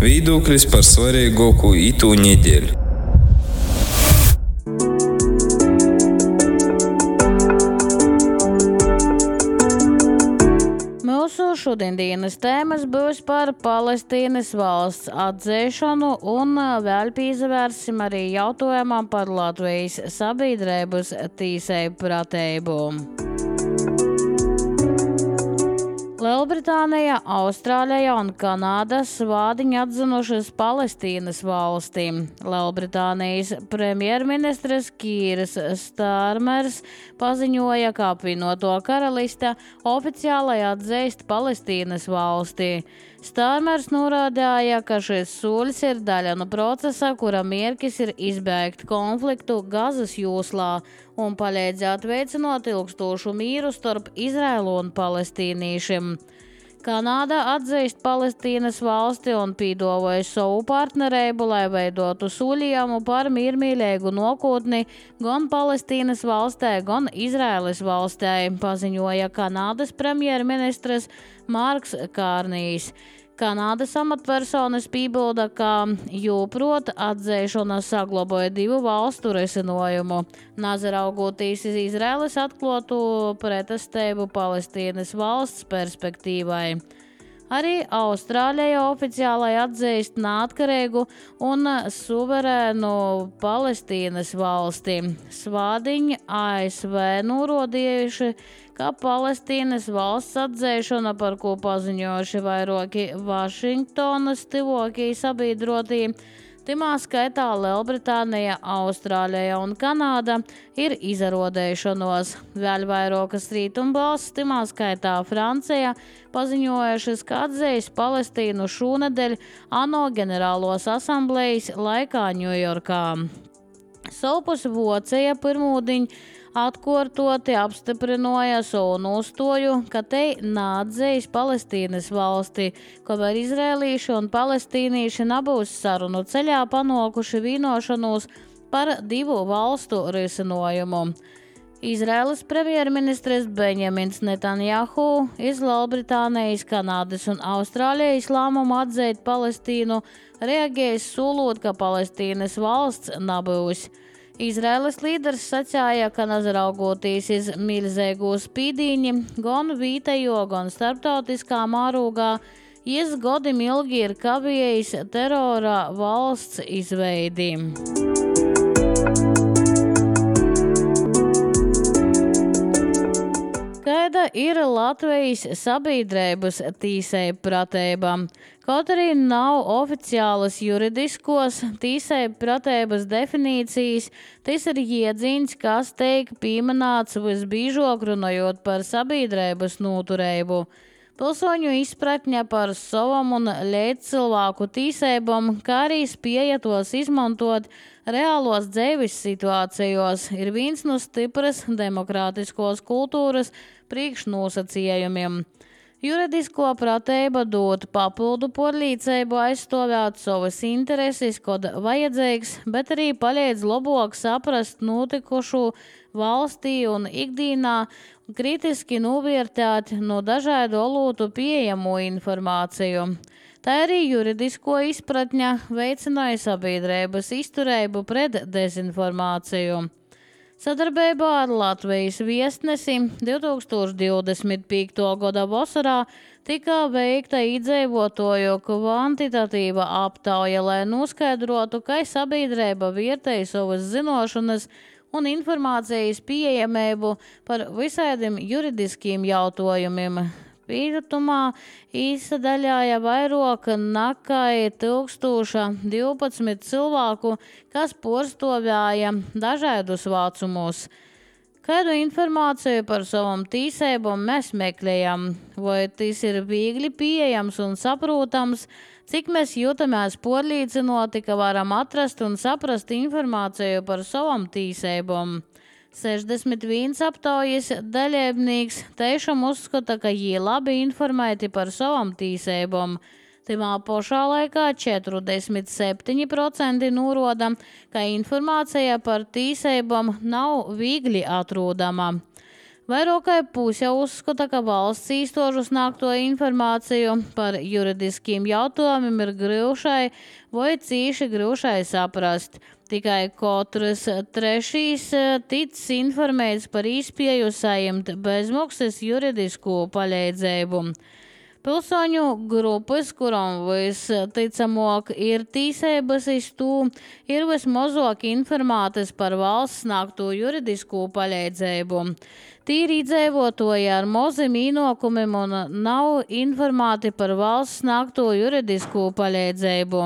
Viedoklis par svarīgāko itū nedēļu. Mūsu šodienas tēmas būs par Palestīnas valsts atzīšanu un vēl pievērsim arī jautājumam par Latvijas sabiedrības tiesību pratību. Lielbritānija, Austrālija un Kanāda svādiņi atzinušas Palestīnas valsti. Lielbritānijas premjerministrs Kīrs Starmers paziņoja, ka apvienoto karaliste oficiāli atzīst Palestīnas valsti. Starmers norādīja, ka šis solis ir daļa no procesa, kura mērķis ir izbēgt konfliktu Gazas joslā un palīdzēt veicinot ilgstošu mīru starp Izraēlu un palestīniešiem. Kanāda atzīst Palestīnas valsti un piedāvāja savu partnerību, lai veidotu solījumu par miermīlīgu nākotni gan Palestīnas valstī, gan Izraēlas valstī, paziņoja Kanādas premjerministrs Marks Kārnijs. Kanādas amatpersonas piebilda, ka joprot atzīšana saglabāja divu valstu risinājumu, neraugoties uz Izraēlas atklātu pretestību Palestīnas valsts perspektīvai. Arī Austrālija oficiāli atzīst neatkarīgu un suverēnu Palestīnas valsti. Svādiņi ASV norādījuši, ka Palestīnas valsts atzīšana, par ko paziņojuši vairāki Vašingtonas tuvākie sabiedrotie, timā skaitā Lielbritānija, Austrālija un Kanāda, ir izrodēšanos. Vēl vairākas rietumvalstis, timā skaitā Francija, paziņojušas, ka atzīs Palestīnu šonedēļ ANO ģenerālos asamblejas laikā Ņujorkā. Savukārt Vācija pirmdien atkārtoti apstiprināja savu nostāju, ka te neatzīs Palestīnas valsti, kamēr izrēlīši un palestīnieši nebūs sarunu ceļā panākuši vienošanos par divu valstu risinājumu. Izraēlas premjerministrs Benjamins Netanjahu iz Lielbritānijas, Kanādas un Austrālijas lēmumu atzīt Palestīnu reaģējis solot, ka Palestīnas valsts nebūs. Izraēlas līderis sacīja, ka neraugoties uz milzīgo spīdīņu, gan vietējo, gan starptautiskā mērogā, jis gadiem ilgi ir kavējis terora valsts izveidi. Kāda ir Latvijas sabiedrības tiesību pratība? Kaut arī nav oficiālas juridiskos tiesību pratības definīcijas, tas ir jēdziens, kas tiek pieminēts visbiežāk runājot par sabiedrības noturību. Pilsoņu izpratne par savam un līdzcilvēku tiesībām, kā arī spēja tos izmantot reālos dzīves situācijos, ir viens no stipras demokrātiskos kultūras priekšnosacījumiem. Juridisko pratība dod papildu pārliecību aizstāvēt savas intereses, kad vajadzīgs, bet arī palīdz labāk saprast notikušo valstī un ikdienā, kritiski novērtēt no dažādu alotu pieejamo informāciju. Tā arī juridisko izpratņa veicināja sabiedrības izturību pret dezinformāciju. Sadarbībā ar Latvijas viestnesi 2025. gada vasarā tika veikta iedzīvotāju kvantitatīva aptauja, lai noskaidrotu, kā sabiedrība vērtēja savas zināšanas un informācijas pieejamību par visādiem juridiskiem jautājumiem. Pīratumā izsadaļāja vairāk nekā 1012 cilvēku, kas pārstāvēja dažādus vecumus. Kādu informāciju par savām tiesībām mēs meklējam? Vai tas ir viegli pieejams un saprotams? Cik mēs jūtamies pārliecināti, ka varam atrast un saprast informāciju par savām tiesībām? 61 aptaujas dalībnieks tiešām uzskata, ka viņi labi informēti par savām tiesībām. Timā pašā laikā 47% norāda, ka informācija par tiesībām nav viegli atrodama. Vairāk kā puse uzskata, ka valsts īstošu sniegto informāciju par juridiskiem jautājumiem ir grūšai vai cīši grūšai saprast. Tikai katrs trešais ticis informēts par iespēju saņemt bezmaksas juridisku palīdzību. Pilsoņu grupas, kuram visticamāk ir tiesības uz to, ir vismazāk informētas par valsts sniegto juridisku palīdzību. Tīri iedzīvotāji ar maziem ienākumiem un nav informēti par valsts sniegto juridisku palīdzību.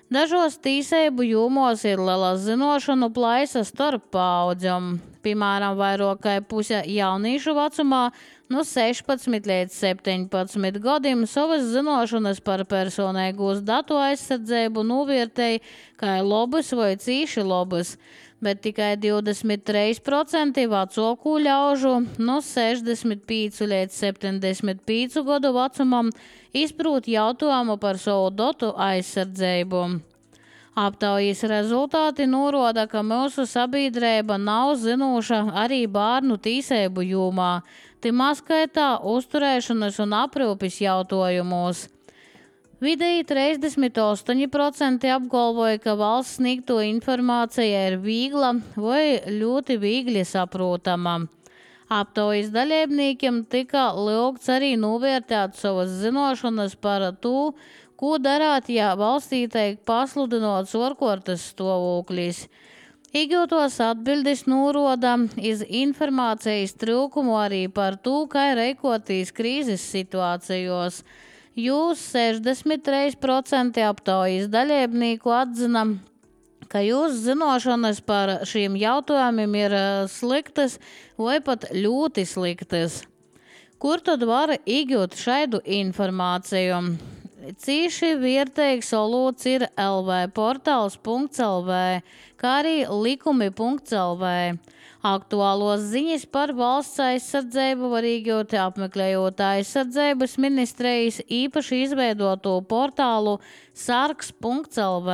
Dažos tiesību jomos ir liela zināšanu plaisa starp paudzēm. Piemēram, vairāk kā puse jauniešu vecumā no 16 līdz 17 gadiem savas zināšanas par personīgos datu aizsardzību novērtēja kā labas vai cīši labas, bet tikai 23% vecāku ļaužu no 65 līdz 75 gadu vecumam izprot jautājumu par savu datu aizsardzību. Aptaujas rezultāti norāda, ka mūsu sabiedrība nav zinoša arī bērnu tiesību jomā, timā skaitā uzturēšanas un aprūpes jautājumos. Vidēji 38% apgalvoja, ka valsts sniegto informācija ir viegla vai ļoti viegli saprotama. Aptaujas dalībniekiem tika lūgts arī novērtēt savas zināšanas par to, ko darāt, ja valstī tiek pasludināts ārkārtas stāvoklis. Iegūtos atbildes norāda iz informācijas trūkumu arī par to, kā rīkoties krīzes situācijos. Jūs 63% aptaujas dalībnieku atzina, ka jūsu zināšanas par šiem jautājumiem ir sliktas vai pat ļoti sliktas. Kur tad var iegūt šādu informāciju? Cīši vērtīgs alots ir lvportāls.lv, kā arī likumi.lv. Aktuālos ziņas par valsts aizsardzību var iegūt apmeklējot aizsardzības ministrijas īpaši izveidoto portālu sargs.lv.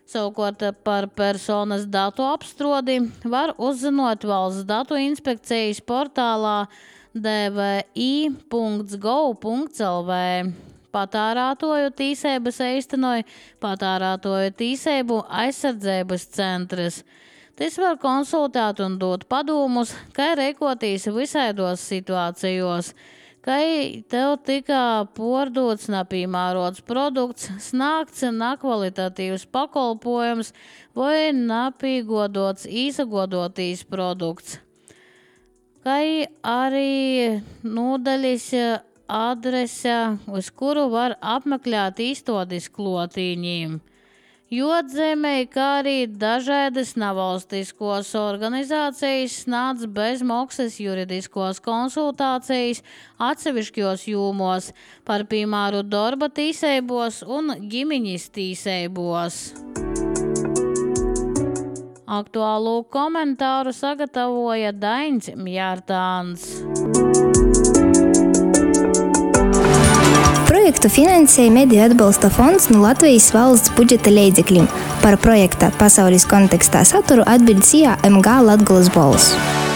Savukārt par personas datu apstrodi var uzzinot valsts datu inspekcijas portālā dvi.gov.lv. Patērētāju tiesības īstenoja Patērētāju tiesību aizsardzības centrs. Tas var konsultēt un dot padomus, kā rīkoties visādos situācijos, kā tev tika pārdots nepiemērots produkts, sniegts nekvalitatīvs pakalpojums vai nepiegodots izsagodotīs produkts, kā arī nodaļas adrese, uz kuru var apmeklēt izstādes klotīņiem. Jāatzīmē, kā arī dažādas nevalstiskos organizācijas sniedz bezmaksas juridiskos konsultācijas atsevišķos jomos par piemēru darba tiesībos un ģimeņas tiesībos. Aktuālo komentāru sagatavoja Dains Mjārtāns. Projektu finansēja Mediju atbalsta fonds no Latvijas valsts budžeta līdzekļiem. Par projekta pasaules kontekstā saturu atbild CIA MG Latgolas balss.